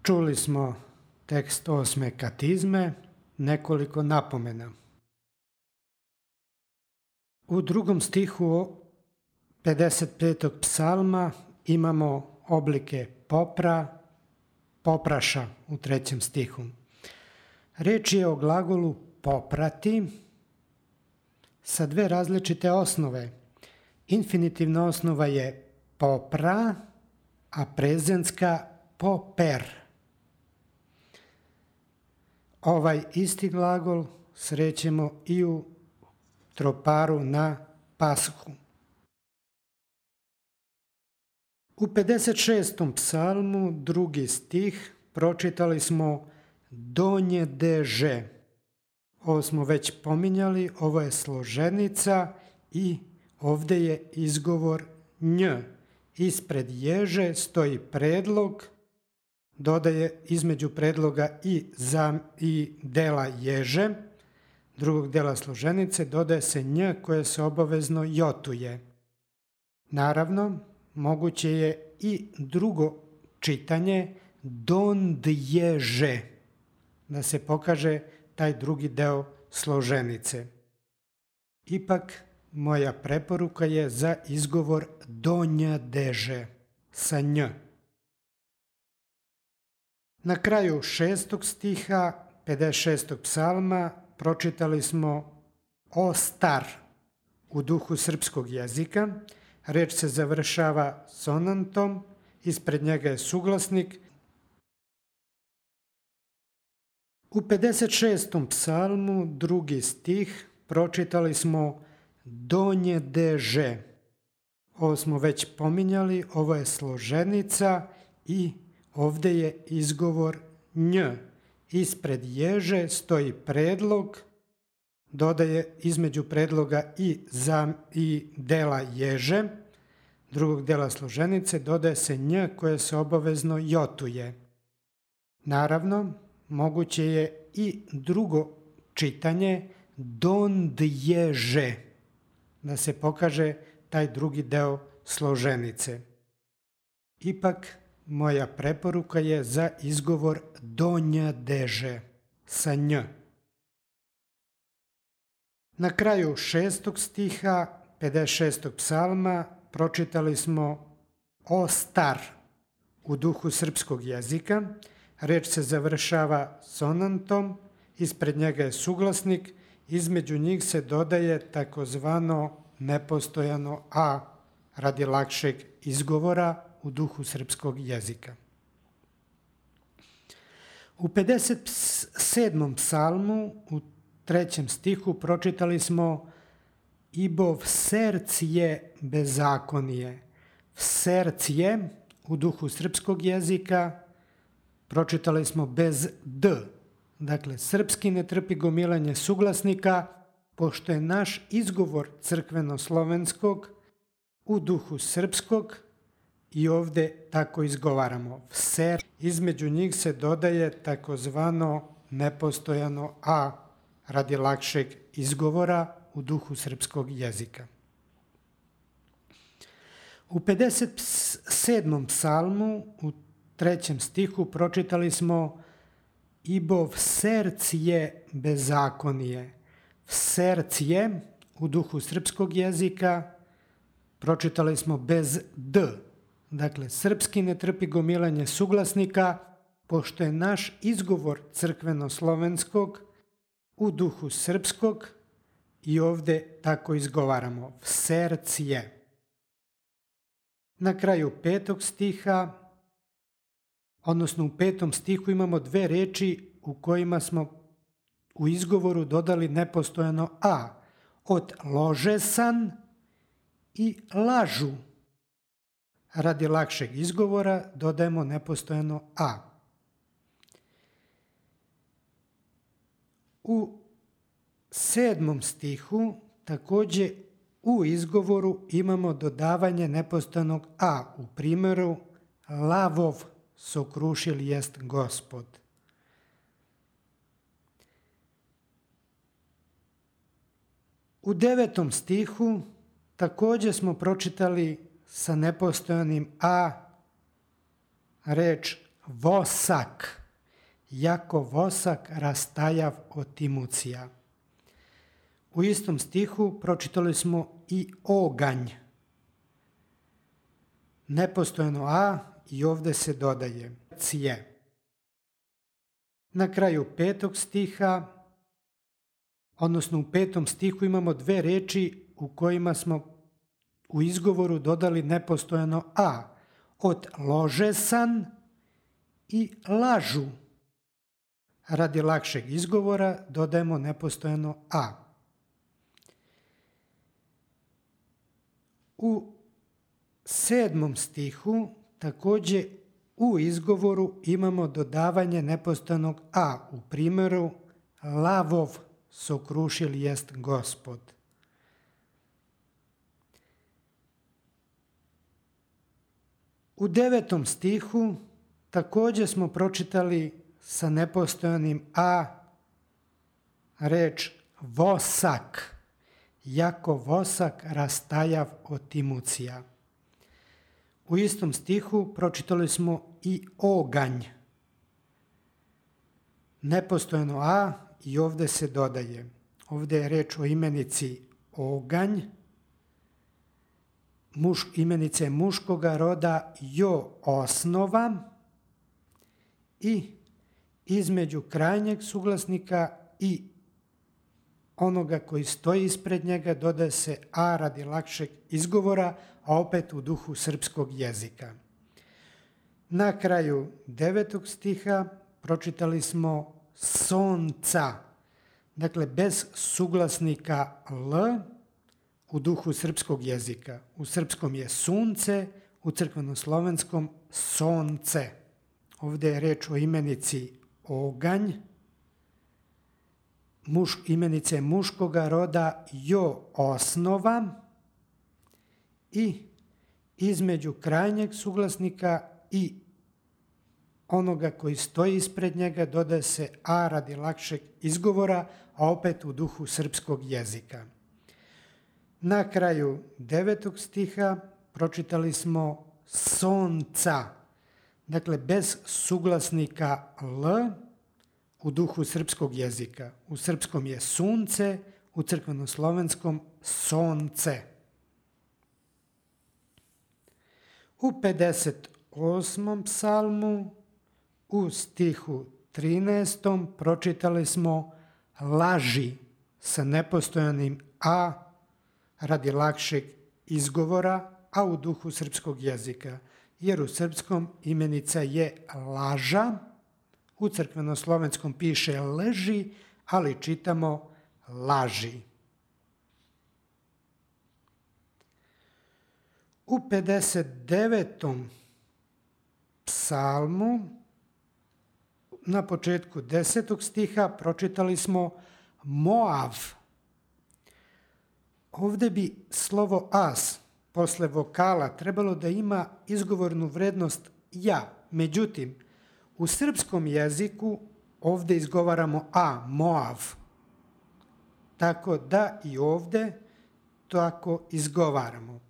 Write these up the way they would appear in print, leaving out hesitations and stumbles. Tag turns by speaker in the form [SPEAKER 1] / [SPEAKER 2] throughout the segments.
[SPEAKER 1] Čuli smo tekst 8. katizme, nekoliko napomena. U 2. stihu 55. psalma imamo oblike popra, popraša u 3. stihu. Reč je o glagolu poprati sa dve različite osnove. Infinitivna osnova je popra, a prezentska poper. Ovaj isti glagol srećemo i u troparu na Pashu. U 56. psalmu 2. stih pročitali smo donje deže. Ovo smo već pominjali, ovo je složenica i ovdje je izgovor nj. Ispred ježe stoji predlog, dodaje između predloga i dela ježe, drugog dela složenice, dodaje se nj koje se obavezno jotuje. Naravno, moguće je i drugo čitanje dondježe, da se pokaže taj drugi deo složenice. Ipak, moja preporuka je za izgovor donja deže sa nj. Na kraju 6. stiha 56. psalma pročitali smo o star u duhu srpskog jezika. Reč se završava sonantom, ispred njega je suglasnik. U 56. psalmu 2. stih pročitali smo donje deže. Ovo smo već pominjali, ovo je složenica i ovdje je izgovor nj. Ispred ježe stoji predlog, dodaje između predloga i dela ježe, drugog dela složenice, dodaje se nj koje se obavezno jotuje. Naravno, moguće je i drugo čitanje dondježe, da se pokaže taj drugi deo složenice. Ipak, moja preporuka je za izgovor donja deže sa nj. Na kraju 6. stiha 56. psalma pročitali smo o star u duhu srpskog jezika. Reč se završava sonantom, ispred njega je suglasnik, između njih se dodaje takozvano nepostojano a radi lakšeg izgovora u duhu srpskog jezika. U 57. psalmu u 3. stihu pročitali smo ibov serc je bezakonije. Serc je u duhu srpskog jezika pročitali smo bez d. Dakle, srpski ne trpi gomilanje suglasnika, pošto je naš izgovor crkveno-slovenskog u duhu srpskog i ovdje tako izgovaramo. Ser, između njih se dodaje takozvano nepostojano a radi lakšeg izgovora u duhu srpskog jezika. U 57. psalmu u 3. stihu pročitali smo ibov serc je bezakonije. Serc je u duhu srpskog jezika pročitali smo bez d. Dakle, srpski ne trpi gomilanje suglasnika, pošto je naš izgovor crkveno-slovenskog u duhu srpskog i ovdje tako izgovaramo. Serc je. Na kraju 5. stiha, odnosno u 5. stihu imamo dve reči u kojima smo u izgovoru dodali nepostojano a. Od ložesan i lažu. Radi lakšeg izgovora dodajemo nepostojano a. U 7. stihu također u izgovoru imamo dodavanje nepostojanog a. U primjeru lavov sokrušil jest Gospod. U 9. stihu također smo pročitali sa nepostojanim a reč vosak, jako vosak rastajav od imucija. U istom stihu pročitali smo i oganj. Nepostojno a i ovdje se dodaje cije. Na kraju 5. stiha, odnosno u 5. stihu imamo dve reči u kojima smo u izgovoru dodali nepostojno a. Od ložesan i lažu. Radi lakšeg izgovora dodajemo nepostojno a. U 7. stihu također u izgovoru imamo dodavanje nepostojnog a. U primjeru lavov sokrušil jest Gospod. U 9. stihu također smo pročitali sa nepostojanim a reč vosak, jako vosak rastajav od imucija. U istom stihu pročitali smo i oganj. Nepostojno a i ovdje se dodaje. Ovdje je reč o imenici oganj, imenice muškoga roda jo osnova i između krajnjeg suglasnika i onoga koji stoji ispred njega dodaje se a radi lakšeg izgovora, a opet u duhu srpskog jezika. Na kraju 9. stiha pročitali smo sonca, dakle bez suglasnika l u duhu srpskog jezika. U srpskom je sunce, u crkvenoslovenskom sonce. Ovdje je reč o imenici oganj, imenice muškoga roda jo osnova i između krajnjeg suglasnika i onoga koji stoji ispred njega dodaje se a radi lakšeg izgovora, a opet u duhu srpskog jezika. Na kraju 9. stiha pročitali smo sonca, dakle bez suglasnika l u duhu srpskog jezika. U srpskom je sunce, u crkvenoslovenskom sonce. U 58. psalmu u stihu 13. pročitali smo laži sa nepostojanim a radi lakšeg izgovora, a u duhu srpskog jezika. Jer u srpskom imenica je laža, u crkvenoslovenskom piše leži, ali čitamo laži. U 59. psalmu na početku 10. stiha pročitali smo Moav. Ovdje bi slovo as posle vokala trebalo da ima izgovornu vrednost ja. Međutim, u srpskom jeziku ovdje izgovaramo a, Moav. Tako da i ovdje tako izgovaramo.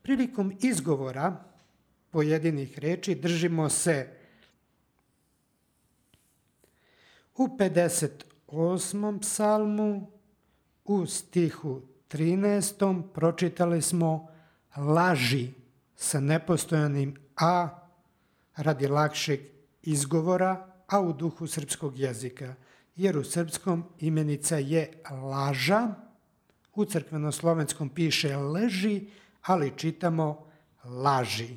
[SPEAKER 1] Prilikom izgovora pojedinih reči držimo se u 58. psalmu u stihu 13. pročitali smo laži sa nepostojanim a radi lakšeg izgovora, a u duhu srpskog jezika. Jer u srpskom imenica je laža, u crkvenoslovenskom piše leži, ali čitamo laži.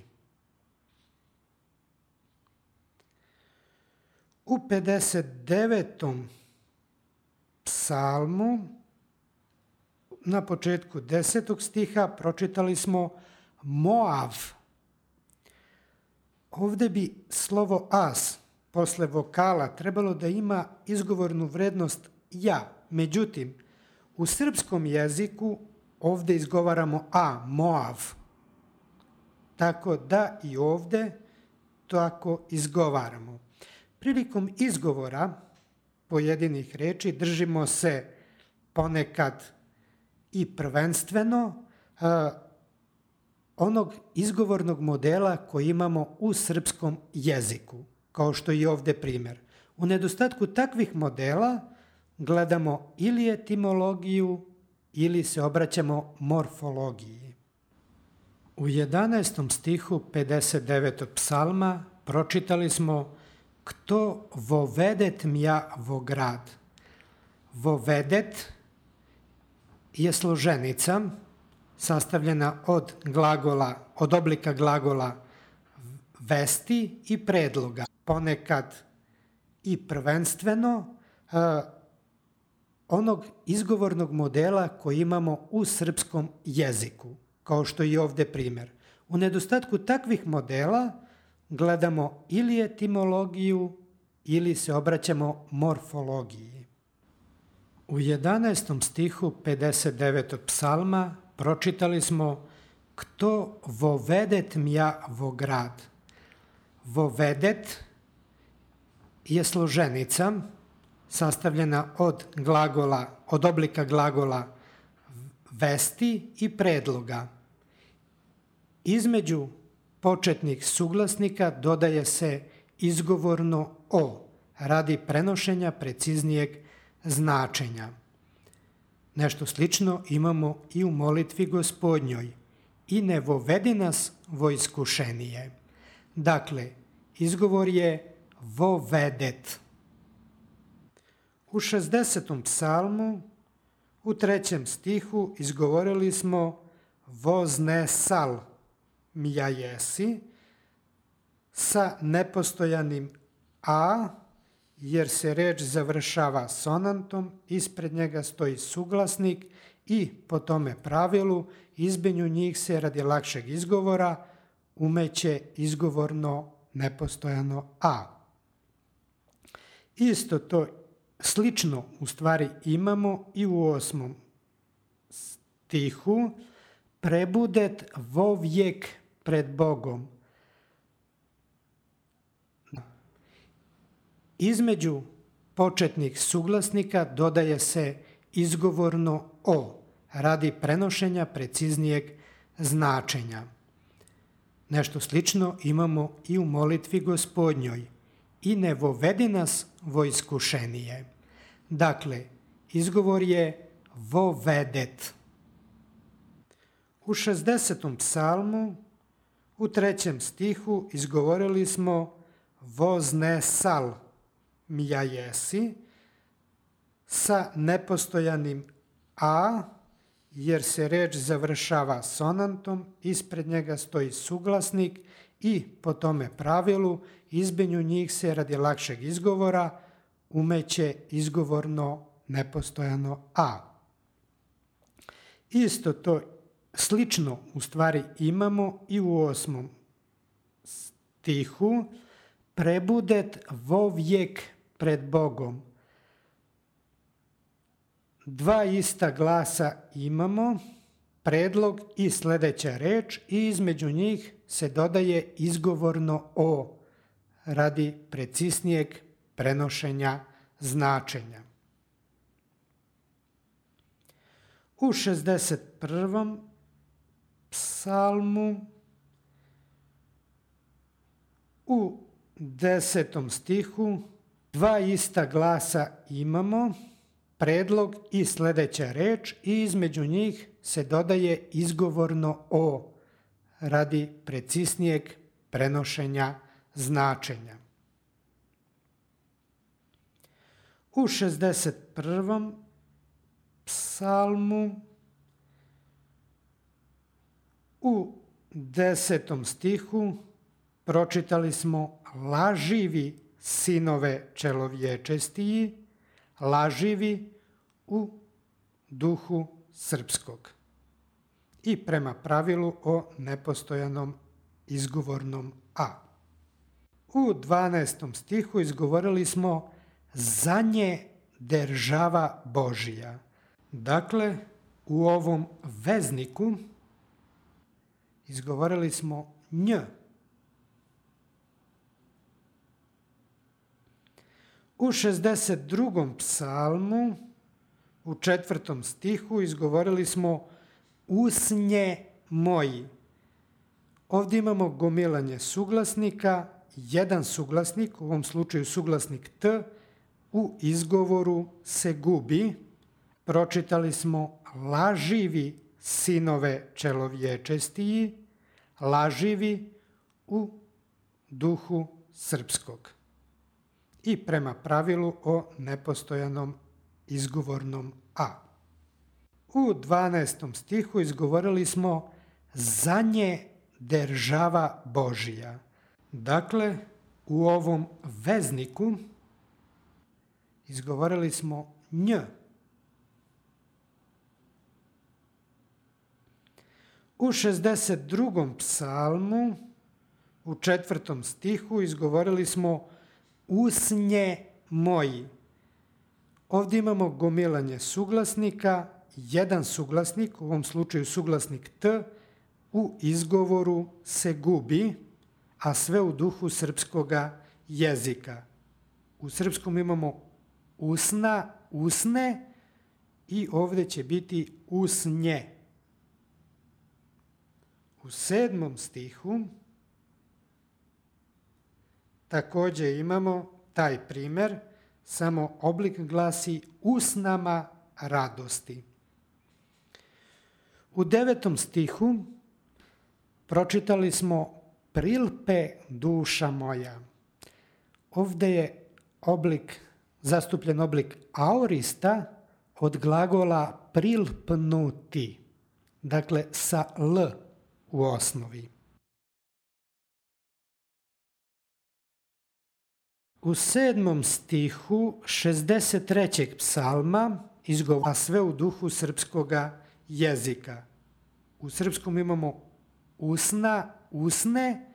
[SPEAKER 1] U 59. psalmu na početku 10. stiha pročitali smo Moav. Ovdje bi slovo as posle vokala trebalo da ima izgovornu vrednost ja. Međutim, u srpskom jeziku ovdje izgovaramo a, Moav. Tako da i ovdje tako izgovaramo. Prilikom izgovora pojedinih reči držimo se ponekad i prvenstveno onog izgovornog modela koji imamo u srpskom jeziku. kao što je ovde primjer. U nedostatku takvih modela gledamo ili etimologiju ili se obraćamo morfologiji. U 11. stihu 59. psalma pročitali smo Kto vovedet mja vo grad. Vovedet je složenica sastavljena od oblika glagola vesti i predloga. Ponekad i prvenstveno onog izgovornog modela koji imamo u srpskom jeziku, kao što je ovde primjer. U nedostatku takvih modela gledamo ili etimologiju ili se obraćamo morfologiji. U 11. stihu 59. psalma pročitali smo Kto vovedet mja vo grad. Vovedet je složenica sastavljena od oblika glagola vesti i predloga. Između početnih suglasnika dodaje se izgovorno o radi prenošenja preciznijeg značenja. Nešto slično imamo i u molitvi Gospodnjoj. I ne vovedi nas vo iskušenije. Dakle, izgovor je vovedet. U 60. psalmu, u 3. stihu izgovorili smo voznesal mja jesi sa nepostojanim a, jer se reč završava sonantom, ispred njega stoji suglasnik i po tome pravilu između njih se radi lakšeg izgovora umeće izgovorno nepostojano a. Isto to slično u stvari imamo i u 8. stihu prebudet vovijek pred Bogom. Između početnih suglasnika dodaje se izgovorno o radi prenošenja preciznijeg značenja. Nešto slično imamo i u molitvi Gospodnjoj. I ne vovedi nas vo iskušenije. Dakle, izgovor je vovedet. U 60. psalmu, u 3. stihu izgovorili smo voznesal mja jesi sa nepostojanim a, jer se reč završava sonantom, ispred njega stoji suglasnik i po tome pravilu između njih se radi lakšeg izgovora umeće izgovorno nepostojano a. Isto to slično u stvari imamo i u 8. stihu prebudet vovijek pred Bogom. Dva ista glasa imamo, predlog i sljedeća reč i između njih se dodaje izgovorno o radi preciznijeg prenošenja značenja. U 61. psalmu u 10. stihu dva ista glasa imamo, predlog i sljedeća reč i između njih se dodaje izgovorno o radi preciznijeg prenošenja značenja. U 61. psalmu u 10. stihu pročitali smo laživi sinove čelovječestiji, laživi u duhu srpskog i prema pravilu o nepostojanom izgovornom a. U 12. stihu izgovorili smo za nje država Božija. Dakle, u ovom vezniku izgovorili smo nj. U 62. psalmu, u 4. stihu izgovorili smo usnje moji. Ovdje imamo gomilanje suglasnika jedan suglasnik, u ovom slučaju suglasnik T, u izgovoru se gubi. Pročitali smo laživi sinove čelovječestiji, laživi u duhu srpskog. I prema pravilu o nepostojanom izgovornom A. U 12. stihu izgovorili smo za nje država Božija. Dakle, u ovom vezniku izgovorili smo nj. U 62. psalmu, u 4. stihu izgovorili smo usnje moji. Ovdje imamo gomilanje suglasnika, jedan suglasnik, u ovom slučaju suglasnik T, u izgovoru se gubi, a sve u duhu srpskoga jezika. U srpskom imamo usna, usne i ovdje će biti usnje. U 7. stihu također imamo taj primjer, samo oblik glasi usnama radosti. U 9. stihu pročitali smo prilpe duša moja. Ovdje je zastupljen oblik aorista od glagola prilpnuti, dakle sa L u osnovi. U 7. stihu 63. psalma izgovara sve u duhu srpskoga jezika. U srpskom imamo usna, usne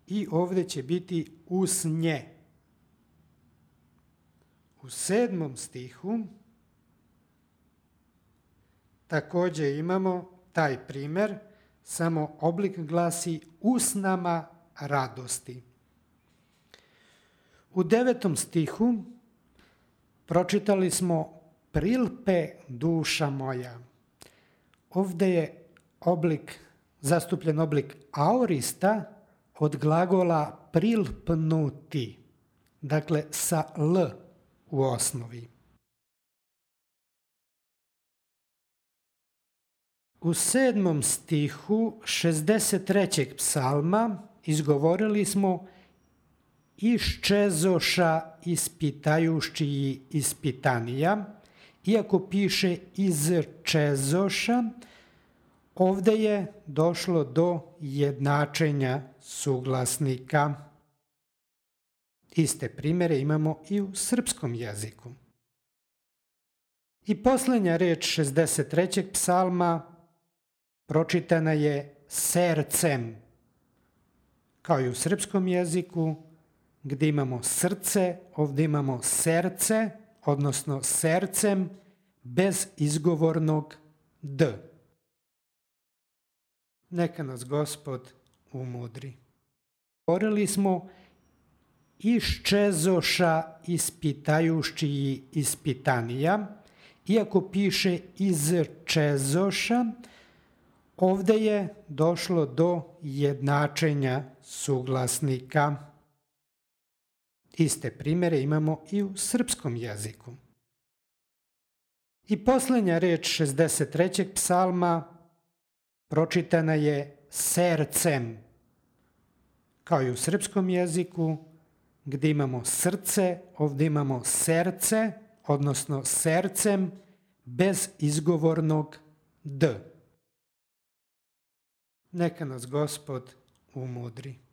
[SPEAKER 1] i ovdje će biti usnje. U 7. stihu također imamo taj primjer, samo oblik glasi usnama radosti. U 9. stihu pročitali smo prilpe duša moja. Ovdje je zastupljen oblik aorista od glagola prilpnuti, dakle sa L u osnovi. U 7. stihu 63. psalma izgovorili smo iščezoša ispitajušći ispitanija. Iako piše izčezoša, ovdje je došlo do jednačenja suglasnika. Iste primjere imamo i u srpskom jeziku. I posljednja reč 63. psalma pročitana je sercem, kao i u srpskom jeziku, gdje imamo srce, ovdje imamo serce, odnosno sercem bez izgovornog D. Neka nas Gospod umudri. Govorili smo iščezoša ispitajušći ispitanija. Iako piše izčezoša, ovdje je došlo do jednačenja suglasnika. Iste primjere imamo i u srpskom jeziku. I posljednja reč 63. psalma pročitana je sercem, kao i u srpskom jeziku, gdje imamo srce, ovdje imamo serce, odnosno sercem bez izgovornog D. Neka nas Gospod umudri.